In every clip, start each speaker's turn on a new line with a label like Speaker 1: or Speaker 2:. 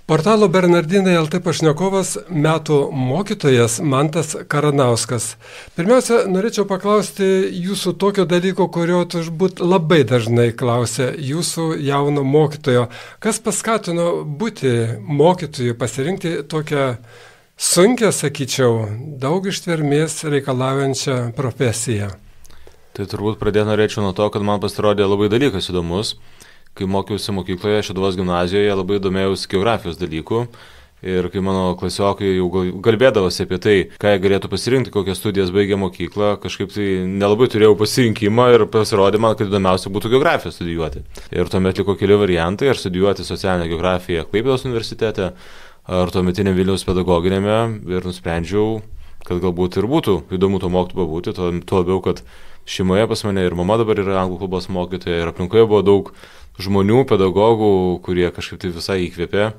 Speaker 1: Portalo Bernardinai LT pašnekovas metų mokytojas Mantas Karanauskas. Pirmiausia, norėčiau paklausti jūsų tokio dalyko, kurio turbūt labai dažnai klausia jūsų jauno mokytojo. Kas paskatino būti mokytoju, pasirinkti tokią sunkią, sakyčiau, daug ištvermės reikalaujančią profesiją?
Speaker 2: Tai turbūt pradėti norėčiau nuo to, kad man pasirodė labai dalykas įdomus. Kai mokiausi mokykloje, Šeduvos gimnazijoje, labai domėjausi geografijos dalykų ir kai mano klasiokai jau kalbėdavosi apie tai, ką jie galėtų pasirinkti, kokias studijas baigė mokyklą, kažkaip tai nelabai turėjau pasirinkimą ir pasirodė man, kad įdomiausia būtų geografiją studijuoti. Ir tuomet liko keli variantai, ar studijuoti socialinę geografiją Klaipėdos universitete, ar tuometiniam Vilniaus pedagoginėme, ir nusprendžiau, kad galbūt ir būtų įdomu to mokytoju pabūti, tuo labiau, kad šeimoje pas mane ir mama dabar yra anglų kalbos mokytoja ir aplinkoje buvo daug žmonių, pedagogų, kurie kažkaip tai visai įkvėpė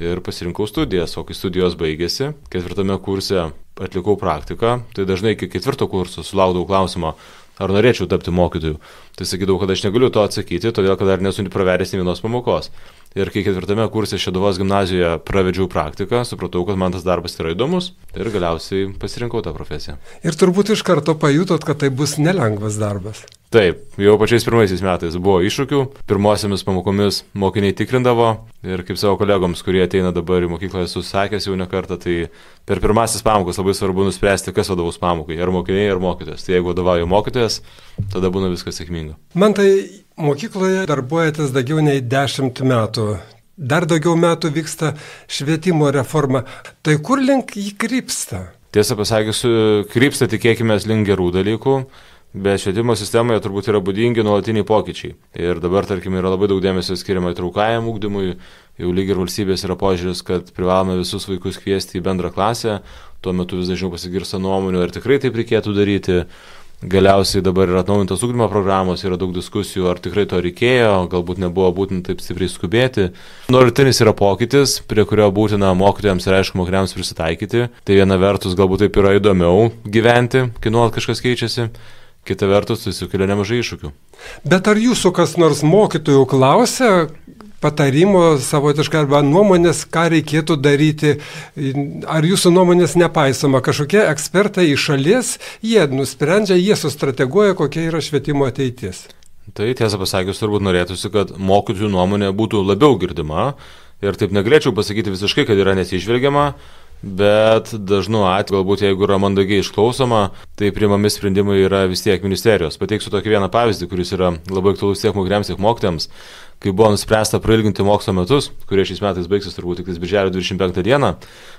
Speaker 2: ir pasirinkau studijas, o kai studijos baigėsi, 4 kurse atlikau praktiką, tai dažnai iki 4 kurso sulaukdavau klausimą, ar norėčiau tapti mokytoju. Tai sakydavau, kad aš negaliu to atsakyti, todėl kad dar nesu pravedęs nė vienos pamokos. Ir kai 4 kurse Šeduvos gimnazijoje pravedžiau praktiką, supratau, kad man tas darbas yra įdomus ir galiausiai pasirinkau tą profesiją.
Speaker 1: Ir turbūt iš karto pajutot, kad tai bus nelengvas darbas.
Speaker 2: Taip, jau pačiais pirmaisiais metais buvo iššūkių, pirmosiamis pamokomis mokiniai tikrindavo ir kaip savo kolegoms, kurie ateina dabar į mokyklą, esu sakęs jau ne kartą, tai per pirmasis pamokas labai svarbu nuspręsti, kas vadovaus pamokai, ar mokiniai, ar mokytojas. Tai jeigu vadovauja mokytojas, tada būna viskas sėkminga.
Speaker 1: Man tai mokykloje darbuojatės daugiau nei 10 metų. Dar daugiau metų vyksta švietimo reforma. Tai kur link jį krypsta?
Speaker 2: Tiesą pasakius, krypsta tikėkime link gerų dalykų. Bet švietimo sistemoje turbūt yra būdingi nuolatiniai pokyčiai. Ir dabar, tarkim, yra labai daug dėmesio skiriama įtraukajam ugdymui. Jau lyg ir valstybės yra požiūris, kad privalome visus vaikus kviesti į bendrą klasę. Tuo metu vis dažniau pasigirsta nuomonių, ar tikrai taip reikėtų daryti. Galiausiai dabar yra atnaujintos ugdymo programos, yra daug diskusijų, ar tikrai to reikėjo, galbūt nebuvo būtina taip stipriai skubėti. Nuolatinis yra pokytis, prie kurio būtina mokytojams ir aišku mokiniams prisitaikyti. Tai viena vertus galbūt taip yra įdomiau gyventi, kai nuolat kažkas keičiasi. Kita vertus, tai sukelia nemažai iššūkių.
Speaker 1: Bet ar jūsų kas nors mokytojų klausia patarimo savotiškai arba nuomonės, ką reikėtų daryti? Ar jūsų nuomonės nepaisoma? Kažkokie ekspertai iš šalies, jie nusprendžia, jie sustrateguoja, kokia yra švietimo ateitis.
Speaker 2: Tai tiesą pasakius, turbūt norėtųsi, kad mokytojų nuomonė būtų labiau girdima. Ir taip negalėčiau pasakyti visiškai, kad yra nesižvelgiama. Bet dažnu atveju, galbūt jeigu yra mandagiai išklausoma, tai priimami sprendimai yra vis tiek ministerijos. Pateiksiu tokį vieną pavyzdį, kuris yra labai aktualus tiek mokiniams, tiek mokytojams. Kai buvo nuspręsta prailginti mokslo metus, kurie šiais metais baigsis turbūt tik birželio 25 dieną,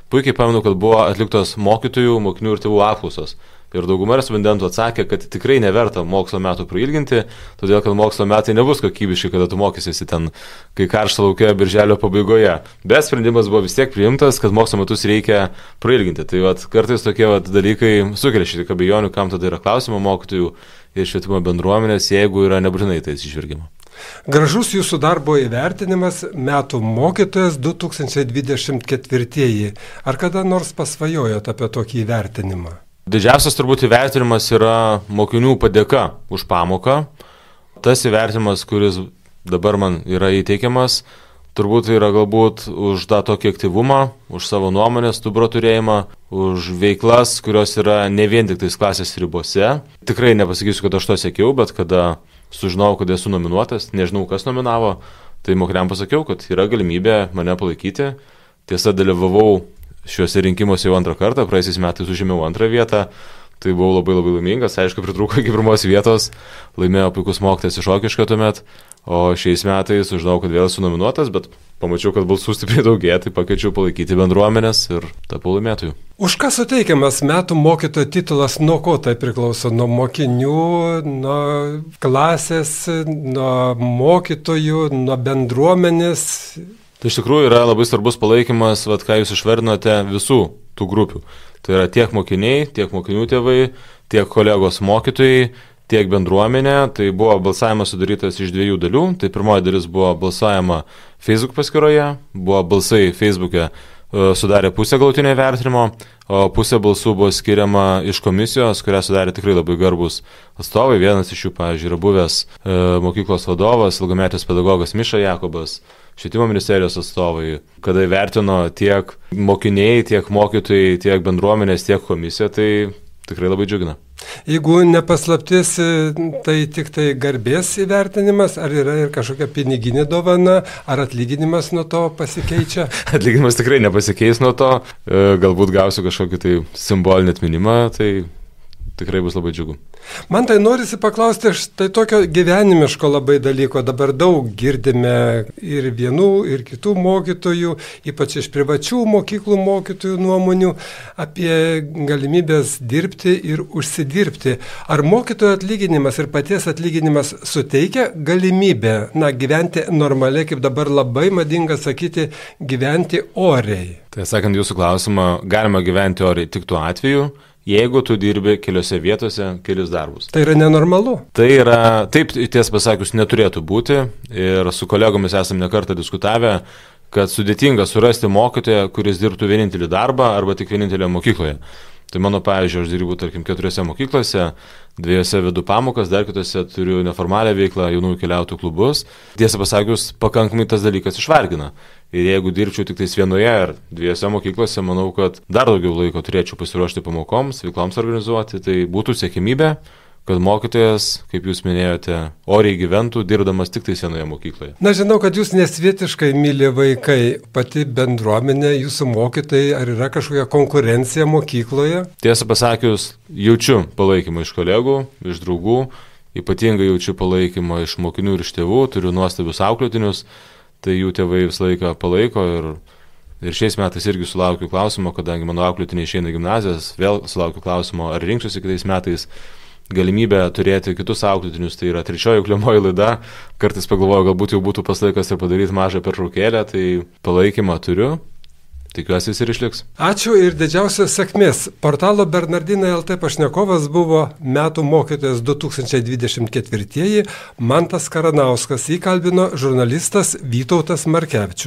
Speaker 2: puikiai pamenu, kad buvo atliktos mokytojų, mokinių ir tėvų apklausos. Ir dauguma respondentų atsakė, kad tikrai neverta mokslo metų prailginti, todėl kad mokslo metai nebus kokybiški, kada tu mokysiesi ten, kai karšta laukia birželio pabaigoje. Bet sprendimas buvo vis tiek priimtas, kad mokslo metus reikia prailginti. Tai kartais tokie dalykai sukelia šiek tiek abejonių, kam tada yra klausimo mokytojų ir švietimo bendruomenės, jeigu yra nebūtinai tai atsižvelgiama.
Speaker 1: Gražus jūsų darbo įvertinimas metų mokytojas 2024. Ar kada nors pasvajojot apie tokį įvertinimą?
Speaker 2: Didžiausias turbūt įvertinimas yra mokinių padėka už pamoką. Tas įvertinimas, kuris dabar man yra įteikiamas, turbūt yra galbūt už tą tokį aktyvumą, už savo nuomonės, stuburo turėjimą, už veiklas, kurios yra ne vien tik tais klasės ribose. Tikrai nepasakysiu, kad aš to siekiau, bet kada sužinojau, kad esu nominuotas, nežinau, kas nominavo, tai mokiniam pasakiau, kad yra galimybė mane palaikyti. Tiesa, dalyvavau šiuose rinkimuose jau antrą kartą, praeisiais metais užėmiau antrą vietą, tai buvau labai laimingas, aišku, pritrūko iki pirmos vietos, laimėjo puikus mokytojas iš Rokiškio tuomet, o šiais metais sužinau, kad vėl esu nominuotas, bet pamačiau, kad balsų stipriai daugėja, tai pakviečiau palaikyti bendruomenės ir tapau laimėtoju.
Speaker 1: Už ką suteikiamas metų mokytojo titulas, nuo ko tai priklauso? Nuo mokinių, nuo klasės, nuo mokytojų, nuo bendruomenės?
Speaker 2: Tai iš tikrųjų yra labai svarbus palaikymas, ką jūs išvardinote, visų tų grupių. Tai yra tiek mokiniai, tiek mokinių tėvai, tiek kolegos mokytojai, tiek bendruomenė. Tai buvo balsavimas sudarytas iš 2 dalių. Tai pirmoji dalis buvo balsavimo Facebook paskyroje, buvo balsai Facebook'e sudarė pusę galutinio įvertinimo, o pusė balsų buvo skiriama iš komisijos, kurią sudarė tikrai labai garbus atstovai. Vienas iš jų, pavyzdžiui, yra buvęs mokyklos vadovas, ilgametis pedagogas Miša Jakobas. švietimo ministerijos atstovai, kada įvertino tiek mokiniai, tiek mokytojai, tiek bendruomenės, tiek komisija, tai tikrai labai džiugina.
Speaker 1: Jeigu nepaslaptis, tai tik tai garbės įvertinimas, ar yra ir kažkokia piniginė dovana, ar atlyginimas nuo to pasikeičia?
Speaker 2: Atlyginimas tikrai nepasikeis nuo to, galbūt gausiu kažkokį tai simbolinį atminimą, tai tikrai bus labai džiugu.
Speaker 1: Man tai norisi paklausti, štai tokio gyvenimiško labai dalyko. Dabar daug girdime ir vienų, ir kitų mokytojų, ypač iš privačių mokyklų mokytojų nuomonių apie galimybės dirbti ir užsidirbti. Ar mokytojo atlyginimas ir paties atlyginimas suteikia galimybę, gyventi normaliai, kaip dabar labai madinga sakyti, gyventi oriai?
Speaker 2: Tai sakant jūsų klausimą, galima gyventi oriai tik tuo atveju, jeigu tu dirbi keliose vietose kelis darbus.
Speaker 1: Tai yra nenormalu?
Speaker 2: Tai yra, taip tiesą pasakius, neturėtų būti ir su kolegomis esame nekartą diskutavę, kad sudėtinga surasti mokytoją, kuris dirbtų vienintelį darbą arba tik vienintelėje mokykloje. Tai mano pavyzdžiui, aš dirbu, tarkim, 4 mokyklose, 2 vedu pamokas, dar kitose turiu neformalią veiklą, jaunųjų keliautojų klubus. Tiesą pasakius, pakankamai tas dalykas išvargina. Ir jeigu dirbčiau tik tais 1 ar 2 mokyklose, manau, kad dar daugiau laiko turėčiau pasiruošti pamokoms, veikloms organizuoti, tai būtų siekimybė, kad mokytojas, kaip jūs minėjote, oriai gyventų, dirbdamas tik tais 1 mokykloje.
Speaker 1: Na, žinau, kad jūs nesvietiškai myli vaikai, pati bendruomenė, jūsų mokytojai, ar yra kažkokia konkurencija mokykloje?
Speaker 2: Tiesą pasakius, jaučiu palaikymą iš kolegų, iš draugų, ypatingai jaučiu palaikymą iš mokinių ir iš tėvų, turiu nuostabius auklėtinius, tai jų tėvai visą laiką palaiko ir šiais metais irgi sulaukiu klausimo, kadangi mano auklėtiniai išeina gimnazijas, vėl sulaukiu klausimo, ar rinksiuosi kitais metais galimybę turėti kitus auklėtinius, tai yra 3 auklėjamoji laida, kartais pagalvoju, galbūt jau būtų pas laikas ir padaryti mažą pertraukėlę, tai palaikymą turiu, tikiuosi jis ir išliks.
Speaker 1: Ačiū ir didžiausios sėkmės. Portalo Bernardinai LT pašnekovas buvo metų mokytojas 2024 Mantas Karanauskas, jį kalbino žurnalistas Vytautas Markevičius.